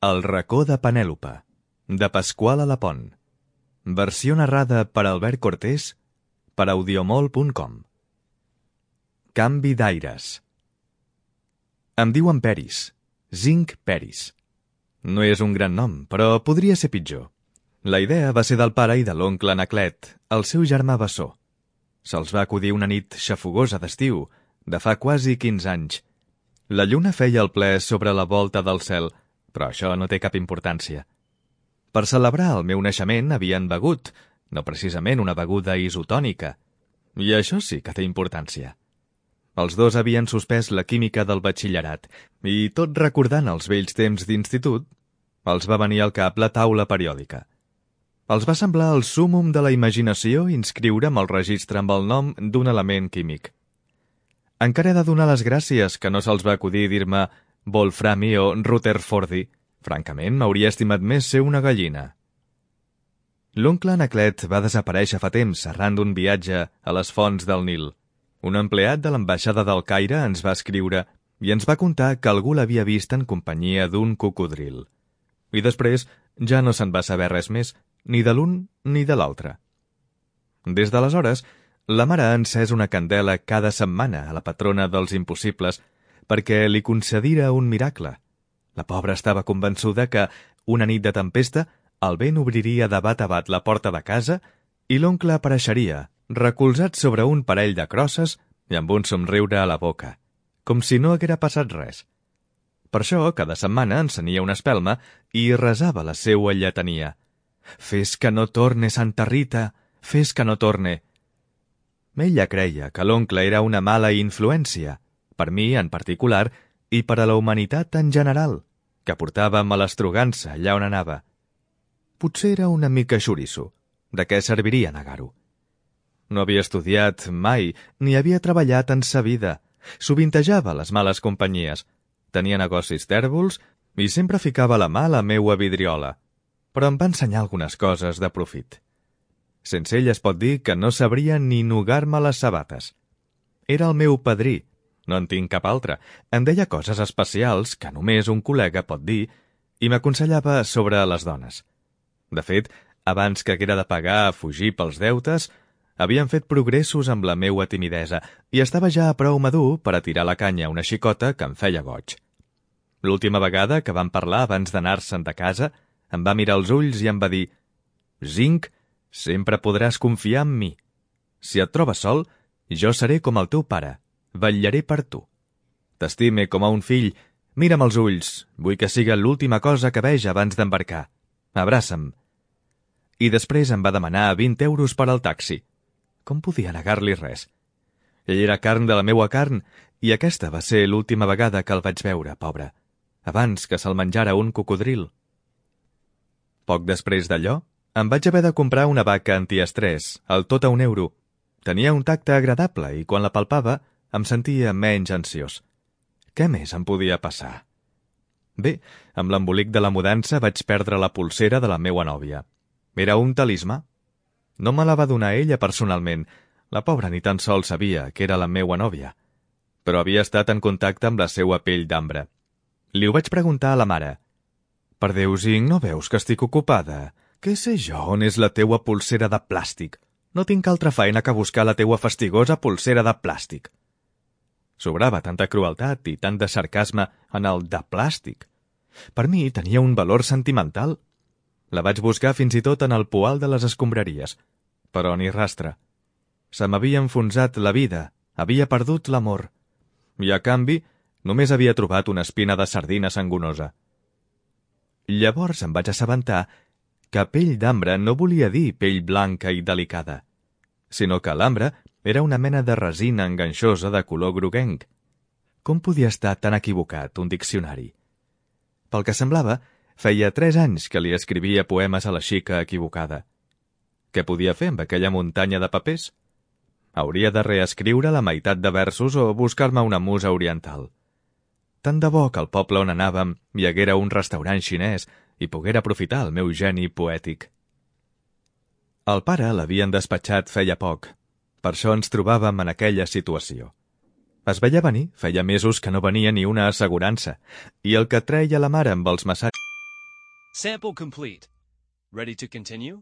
El racó de Penèlope, de Pasqual Alapont. Versió narrada per Albert Cortés, per audiomol.com. Canvi d'aires. Em diuen Peris, Zinc Peris. No és un gran nom, però podria ser pitjor. La idea va ser del pare i de l'oncle Anaclet, el seu germà bessó. Se'ls va acudir una nit xafogosa d'estiu, de fa quasi 15 anys. La lluna feia el ple sobre la volta del cel, però això no té cap importància. Per celebrar el meu naixement havien begut, no precisament una beguda isotònica, i això sí que té importància. Els dos havien suspès la química del batxillerat, i tot recordant els vells temps d'institut, els va venir al cap la taula periòdica. Els va semblar el súmmum de la imaginació inscriure'm al registre amb el nom d'un element químic. Encara he de donar les gràcies que no se'ls va acudir dir-me Wolframi o Rutherfordi. Francament, m'hauria estimat més ser una gallina. L'oncle Anaclet va desaparèixer fa temps arran d'un viatge a les fonts del Nil. Un empleat de l'ambaixada del Caire ens va escriure i ens va contar que algú l'havia vist en companyia d'un cocodril. I després ja no se'n va saber res més, ni de l'un ni de l'altre. Des d'aleshores, la mare ha encès una candela cada setmana a la patrona dels impossibles perquè li concedira un miracle. La pobra estava convençuda que, una nit de tempesta, el vent obriria de bat a bat la porta de casa i l'oncle apareixeria, recolzat sobre un parell de crosses i amb un somriure a la boca, com si no haguera passat res. Per això, cada setmana encenia una espelma i resava la seua lletania. «Fes que no torne, Santa Rita, fes que no torne». Ella creia que l'oncle era una mala influència, per mi en particular i per a la humanitat en general, que portava malastrugança allà on anava. Potser era una mica xoriço. De què serviria negar-ho? No havia estudiat mai, ni havia treballat en sa vida. Sovintejava les males companyies. Tenia negocis tèrbols i sempre ficava la mà a la meua vidriola. Però em va ensenyar algunes coses de profit. Sense ell es pot dir que no sabria ni nugar-me les sabates. Era el meu padrí. No en tinc cap altre. Em deia coses especials que només un col·lega pot dir i m'aconsellava sobre les dones. De fet, abans que haguera de pagar a fugir pels deutes, havien fet progressos amb la meua timidesa i estava ja prou madur per a tirar la canya a una xicota que em feia goig. L'última vegada que vam parlar abans d'anar-se'n de casa, em va mirar als ulls i em va dir «Zinc, sempre podràs confiar en mi. Si et trobes sol, jo seré com el teu pare. Vetllaré per tu. T'estime com a un fill. Mira'm als ulls. Vull que siga l'última cosa que veja abans d'embarcar. Abraça'm». I després em va demanar 20 euros per al taxi. Com podia negar-li res? Ell era carn de la meua carn i aquesta va ser l'última vegada que el vaig veure, pobre, abans que se'l menjara un cocodril. Poc després d'allò, em vaig haver de comprar una vaca antiestrès, al tot a €1. Tenia un tacte agradable i quan la palpava em sentia menys ansiós. Què més em podia passar? Bé, amb l'embolic de la mudança vaig perdre la polsera de la meua nòvia. Era un talismà. No me la va donar ella personalment. La pobra ni tan sols sabia que era la meua nòvia. Però havia estat en contacte amb la seua pell d'ambre. Li ho vaig preguntar a la mare. «Per Déu, Zinc, no veus que estic ocupada? Què sé jo on és la teua polsera de plàstic? No tinc altra feina que buscar la teua fastigosa polsera de plàstic». Sobrava tanta crueltat i tant de sarcasme en el de plàstic. Per mi tenia un valor sentimental. La vaig buscar fins i tot en el poal de les escombraries, però ni rastre. Se m'havia enfonsat la vida, havia perdut l'amor. I, a canvi, només havia trobat una espina de sardina sangonosa. Llavors em vaig assabentar que pell d'ambre no volia dir pell blanca i delicada, sinó que l'ambre era una mena de resina enganxosa de color groguenc. Com podia estar tan equivocat un diccionari? Pel que semblava, feia 3 anys que li escrivia poemes a la xica equivocada. Què podia fer amb aquella muntanya de papers? Hauria de reescriure la meitat de versos o buscar-me una musa oriental. Tant de bo que al poble on anàvem hi haguera un restaurant xinès i poguera aprofitar el meu geni poètic. El pare l'havien despatxat feia poc. Per això ens trobàvem en aquella situació. Es veia venir, feia mesos que no venia ni una assegurança, i el que treia la mare amb els massatges Sample complete. Ready to continue?